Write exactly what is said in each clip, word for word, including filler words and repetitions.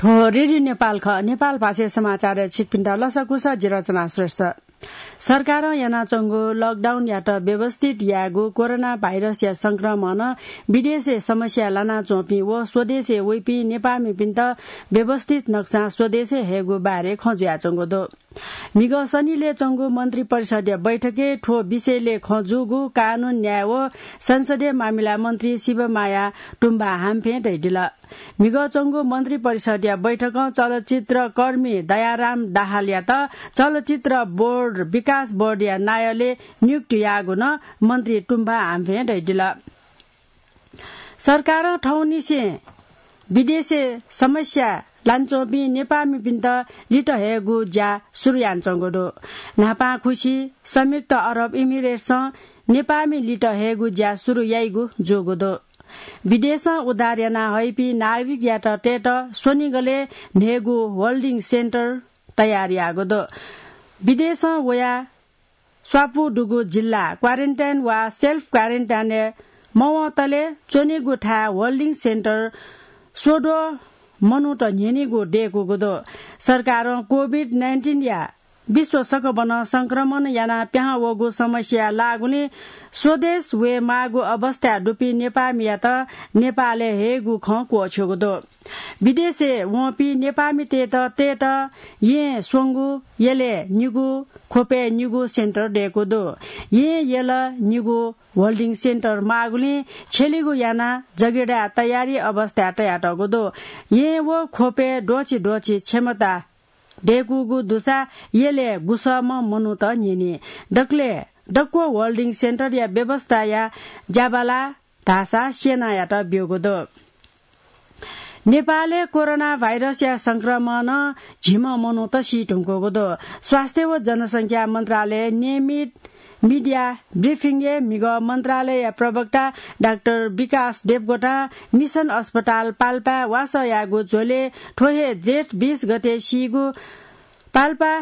थ्व रेडियो नेपाल खः। नेपाल भाषाय् समाचारय् छिकपिन्त लसकुस, जि रचना श्रेष्ठ। सरकारं यानाच्वंगु लकडाउनयात व्यवस्थित यायेगु कोरोना भाइरसया संक्रमणं विदेशय् समस्या लानाच्वंपिं व स्वदेशय् वइपिं नेपाःमिपिन्त व्यवस्थित नक्सां स्वदेशय् हयेगु बारे खँ जुयाच्वंगु दु। म्हिगः शनिलय् च्वंगु मन्त्री परिषदया बैठकय् थ्व विषयलय् खँ जूगु कानून, न्याय व संसदीय मामिला मन्त्री शिवमाया तुम्बा हाम्फें धयादिल। म्हिगः च्वंगु मन्त्री परिषदया बैठकं चलचित्र कर्मी दयाराम दाहालयात चलचित्र बोर्ड, विकास बोर्डया नायःलय् नियुक्ति याःगु नं मन्त्री तुम्बा हाम्फें धयादिल। सरकारं थौंनिसें विदेशय् समस्या लानाच्वंपिं नेपाःमिपिन्त लित हयेगु ज्या सुरु यानाच्वंगु दु। न्हापांखुसि संयुक्त अरब इमिरेट्सं नेपाःमि लित हयेगु ज्या सुरु याइगु जूगु दु। विदेशं उद्धार याना हइपिं नागरिकयात तयेत स्वनिगलय् न्हय्गू होल्डिङ सेन्टर तयार याःगु दु। विदेशं वया स्वापू दुगु जिल्ला क्वारेन्टाइन वा सेल्फ क्वारेन्टाइनय् मवंतले च्वनीगु थाय् होल्डिङ सेन्टर स्वद्वः मनूत न्ह्यनीगु दय्कूगु दु। सरकारं कोभिड नाइन्टिनया विश्व सकबनं संक्रमण यानाः पिहां वःगु समस्या लाःगुलिं स्वदेश वये माःगु अवस्थाय् दुपिं नेपाःमियात नेपालय् हयेगु खँ क्वःछ्यूगु दु। विदेशय् वंपिं नेपाःमितय्त तयेत येँ स्वंगू, यलय् निगू, ख्वपय् निगू सेन्टर दय्कू दु। येँ, यल निगू होल्डिङ सेन्टर माःगुलिं छ्यलिगु यानाः जगिडाय् तयारी अवस्थाय् तयातःगु दु। येँ व ख्वपय् द्वःछि द्वःछि क्षमता दय्कूगु दुसा यलय् गुसःम्ह मनूत न्ह्यनी। दकलय् दक्व होल्डिङ सेन्टरया व्यवस्थाया ज्याबाला धाःसा सेनायात ब्यूगु दु। नेपालय् कोरोना भाइरसया संक्रमणं झिम्ह मनूत सी धुंकूगु दु। स्वास्थ्य व जनसंख्या मन्त्रालयय् नियमित मिडिया ब्रिफिङय् म्हिगः मन्त्रालयया प्रवक्ता डाक्टर विकास देवकोटां मिसन अस्पताल पाल्पाय् वासः याःगु झ्वलय् थ्व हे जेठ बीस गते सीगु पाल्पा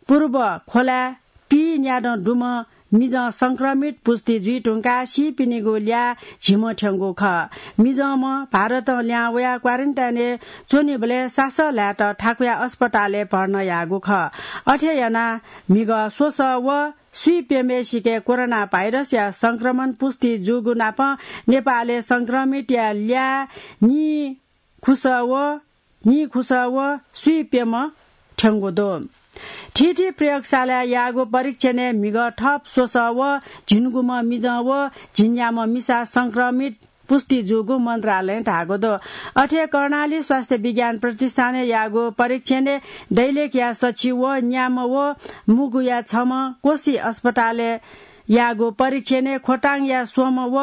पूर्व खोलाय् पीन्यादँ दुम्ह मिजं संक्रमित पुष्टि जुइ धुंकाः सीपिनिगु ल्याः झिम्ह थ्यंगु खः। मिजंम्ह भारतं लिहां वयाः क्वारेन्टाइनय् च्वनीबलय् सासः ल्हायेत थाकुया अस्पतालय् भर्ना याःगु खः। अथे यानाः म्हिगः स्वसः व स्वीप्यम्हय्सिके कोरोना भाइरसया संक्रमण पुष्टि जूगु नापं नेपालय् संक्रमितया ल्याः नीखुसः व नीखुसः व स्वीप्यम्ह थ्यंगु दु। थीथी प्रयोगशालाय् याःगु परीक्षणय् म्हिगः थप स्वसः व झिंगुम्ह मिजं व झिंन्याम्ह मिसा संक्रमित पुष्टि जूगु मन्त्रालयं धाःगु दु। अथे कर्णाली स्वास्थ्य विज्ञान प्रतिष्ठानय् याःगु परीक्षणय् दैलेखया सछि व न्याम्ह व मुगुया छम्ह, कोशी अस्पतालय् याःगु परीक्षणय् खोटाङया स्वम्ह व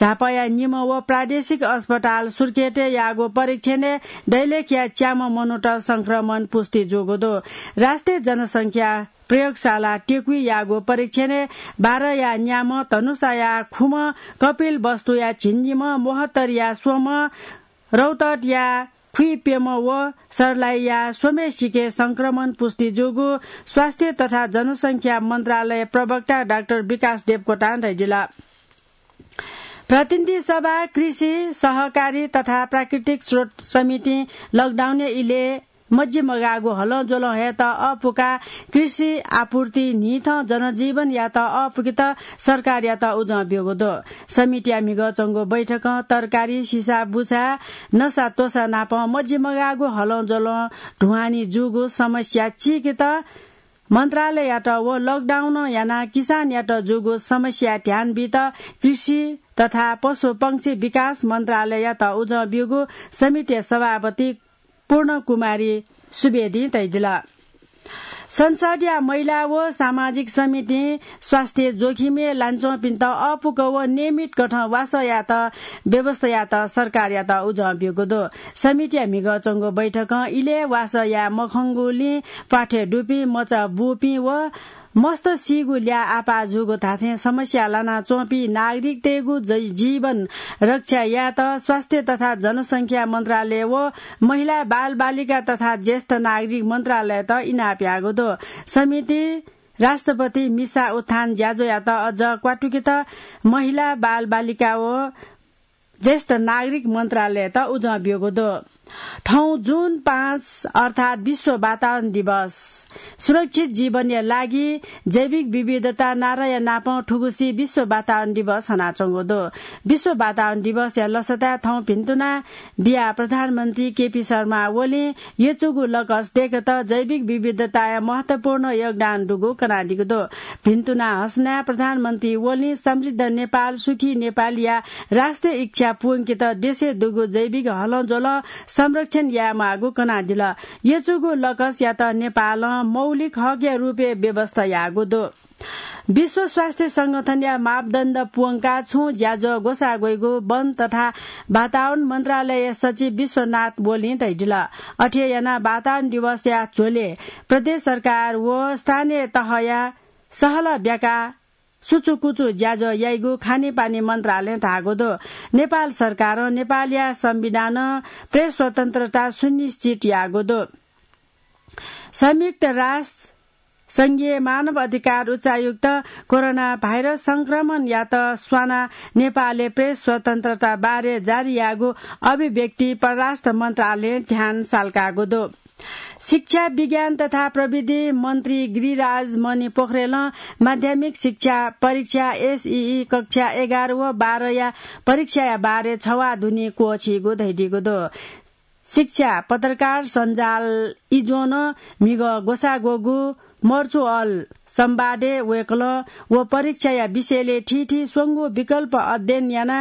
झापाया निम्ह व प्रादेशिक अस्पताल सुर्खेतय् याःगु परीक्षणय् दैलेखया च्याम्ह मनूत संक्रमण पुष्टि जूगु दु। राष्ट्रिय जनसंख्या प्रयोगशाला टेकुइ याःगु परीक्षणय् बाराया न्याम्ह, धनुषाया खुम्ह, कपिलवस्तुया झिंनिम्ह, मोहत्तरीया स्वम्ह, रौतहटया खुइप्यम्ह व सर्लाहीया स्वम्हय्सिके संक्रमण पुष्टि जूगु स्वास्थ्य तथा जनसंख्या मन्त्रालय प्रवक्ता डाक्टर विकास देवकोटां धयादिल। प्रतिनिधि सभा, कृषि, सहकारी तथा प्राकृतिक स्रोत समितिं लकडाउनया इलय् मजिमगाःगु हलंज्वलं हयेत अःपुकाः कृषि आपूर्ति न्हिथं जनजीवनयात अःपुकेत सरकारयात उजं ब्यूगु दु। समितिया म्हिगः च्वंगु बैठकं तरकारी, सिसाबुसा, नसात्वसा नाप मजिमगाःगु हलंज्वलं ढुवानी जूगु समस्या चीकेत मन्त्रालययात व लकडाउन यानाः किसानयात जूगु समस्या ध्यान बीत कृषि तथा पशुपंक्षी विकास मन्त्रालययात उजं ब्यूगु समितिया सभापति पूर्ण कुमारी सुवेदीं धयादिल। संसदया महिला व सामाजिक समितिं स्वास्थ्य जोखिमय् लानाच्वंपिन्त अःपुक व नियमित कथं वासः यायेत व्यवस्था यायेत सरकारयात उजं ब्यूगु दु। समितिया म्हिगः च्वंगु बैठकं इलय् वासः याये मखंगुलिं प्वाथय् दुपिं, मचा बूपिं व मस्त सीगु ल्याः आपाः जूगु धात्थें समस्या लानाच्वंपिं नागरिकतय्गु ज-, जीवन रक्षा यायेत स्वास्थ्य तथा जनसंख्या मन्त्रालय व महिला, बालबालिका तथा ज्येष्ठ नागरिक मन्त्रालयत इनाप याःगु दु। समितिं राष्ट्रपति मिसा उत्थान ज्याझ्वःयात अझ क्वातुकेत महिला, बालबालिका व ज्येष्ठ नागरिक मन्त्रालयत उजं ब्यूगु दु। थौं जुन पाँच अर्थात् विश्व वातावरण दिवस। सुरक्षित जीवनया लागि जैविक विविधता नाराया नापं थुगुसी विश्व वातावरण दिवस हनाच्वंगु दु। विश्व वातावरण दिवसया लसताय् थौं भिन्तुना बिया प्रधानमन्त्री केपी शर्मा ओलीं यचुगु लकस दय्केत जैविक विविधताया महत्वपूर्ण योगदान दुगु कनादीगु दु। भिन्तुना हसनाय् प्रधानमन्त्री ओलीं समृद्ध नेपाल, सुखी नेपालया राष्ट्रिय इच्छा पूवंकेत देशय् दुगु जैविक हलंज्वलं संरक्षण यायेमाःगु कनादिल। यचुगु लकसयात नेपालं मौलिक हकया रूपय् व्यवस्था याःगु दु। विश्व स्वास्थ्य संगठनया मापदण्ड पूवंकाः छुं ज्याझ्वः ग्वसाः ग्वइगु वन तथा वातावरण मन्त्रालयया सचिव विश्वनाथ ओलीं धयादिल। अथे यानाः वातावरण दिवसया झ्वलय् प्रदेश सरकार व स्थानीय तहया सहलह ब्याकाः सुचुकुचु ज्याझ्वः याइगु खानेपानी मन्त्रालयं धाःगु दु। नेपाल सरकारं नेपालया संविधानं प्रेस स्वतन्त्रता सुनिश्चित याःगु दु। संयुक्त राष्ट्र संघीय मानव अधिकार उच्चायुक्त कोरोना भाइरस संक्रमणयात स्वानाः नेपालय् प्रेस स्वतन्त्रता बारे जारी याःगु अभिव्यक्ति परराष्ट्र मन्त्रालयं ध्यान साल्काःगु दु। शिक्षा, विज्ञान तथा प्रविधि मन्त्री गिरिराज मणि पोखरेलं माध्यमिक शिक्षा परीक्षा एसईई कक्षा एघार व बाह्रया परीक्षाया बारे छवाः दुने क्वःछीगु धयादीगु दु। शिक्षा पत्रकार सञ्जाल इज्वनं म्हिगः ग्वसाः ग्वःगु मर्चुअल संवादय् वय्कलं व परीक्षाया विषयलय् थीथी स्वंगू विकल्प अध्ययन याना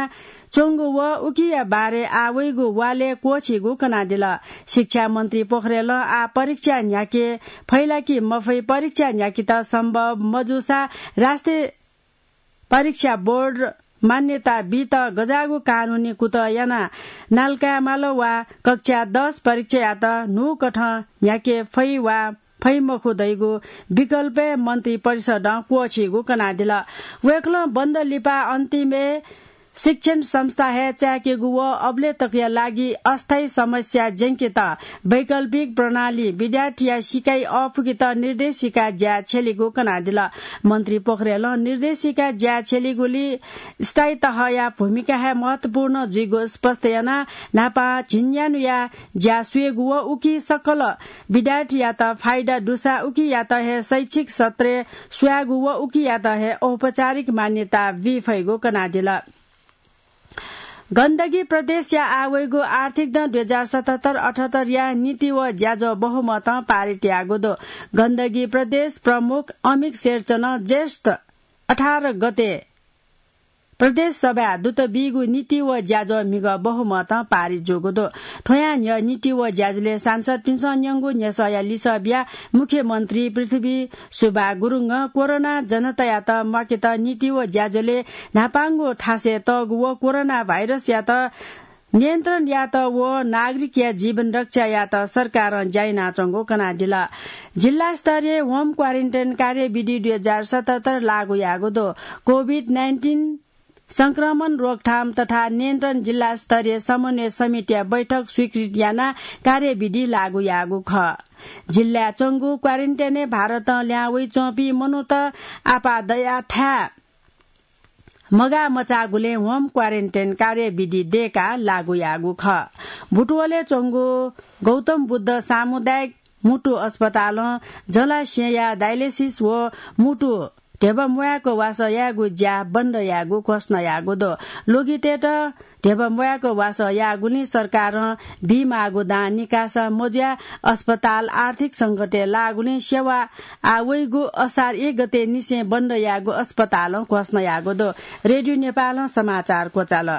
च्वंगु व उकिया बारे आः वइगु वालय् क्वःछीगु कनादिल। शिक्षा मन्त्री पोखरेलं आः परीक्षा न्ह्याके फइ ला कि मफइ, परीक्षा न्ह्याकेत सम्भव मजूसा राष्ट्रिय परीक्षा बोर्ड मान्यता बीत गज्याःगु कानूनी कुतः याना नालकायेमाल वा कक्षा दस परीक्षायात न्हूकथं न्ह्याके फइ वा फइ मखु धइगु विकल्पय् मन्त्री परिषदं क्वःछीगु कनादिल। वय्कलं बन्द लिपा अन्तिमय् शिक्षण संस्था हे चाय्केगु व अबलय् तकया लागि अस्थायी समस्या ज्यंकेत वैकल्पिक प्रणाली विद्यार्थीया सिकाइ अःपुकेत निर्देशिका ज्या छ्यलीगु कनादिल। मन्त्री पोखरेलं निर्देशिका ज्या छ्यलीगुली स्थायी तहया भूमिका हे महत्वपूर्ण जुइगु स्पष्ट यानाः न्हापां झिंन्यान्हुया ज्या स्वयेगु व उकी सकल विद्यार्थीयात फाइदा दुसा उकियात हे शैक्षिक सत्रय् स्वयागु व उकियात हे औपचारिक मान्यता बी फइगु कनादिल। गण्डकी प्रदेशया आः वइगु आर्थिक दँ दुई हजार सतहत्तर अठहत्तरया नीति व ज्याझ्वः बहुमतं पारित याःगु दु। गण्डकी प्रदेश प्रमुख अमिक शेरचनं ज्येष्ठ अठार गते प्रदेश सभाय् दुत बीगु नीति व ज्याझ्वः म्हिगः बहुमतं पारित जूगु दु। थ्वयां न्ह्यः नीति व ज्याझ्वलय् सांसदपिन्सं न्यंगु न्ह्यसःया लिसः बियाः मुख्यमन्त्री पृथ्वी सुब्बा गुरुङं कोरोना जनतायात म्वाकेत नीति व ज्याझ्वलय् न्हापांगु थासय् तःगु व कोरोना भाइरसयात नियन्त्रण यायेत व नागरिकया जीवन रक्षा यायेत सरकारं ज्या यानाच्वंगु कनादिल। जिल्ला स्तरीय होम क्वारेन्टाइन कार्यविधि दुई हजार सतहत्तर लागू याःगु दु। कोभिड नाइन्टिन संक्रमण रोकथाम तथा नियन्त्रण जिल्ला स्तरीय समन्वय समितिया बैठक स्वीकृत यानाः कार्यविधि लागू याःगु खः। जिल्लाय् च्वंगु क्वारेन्टाइनय् भारतं ल्याहां वइच्वंपिं मनूत आपाः दयाः थाय् मगाः मचाःगुलिं होम क्वारेन्टाइन कार्यविधि दय्काः लागू याःगु खः। बुटवलय् च्वंगु गौतम बुद्ध सामुदायिक म्हुतु अस्पतालं जलाशयया डायलिसिस व म्हुतु ध्यबा म्वायेक वासः यायेगु ज्या बन्द यायेगु घोषणा याःगु दु। लोगितय्त ध्यबा म्वायेक वासः याःगुलिं सरकारं बीमाःगु दां निकासा मजुयाः अस्पताल आर्थिक संकटय् लाःगुलिं सेवा आः वइगु असार एक गते निसें बन्द यायेगु अस्पतालं घोषणा याःगु दु। रेडियो नेपालं समाचार क्वचाल।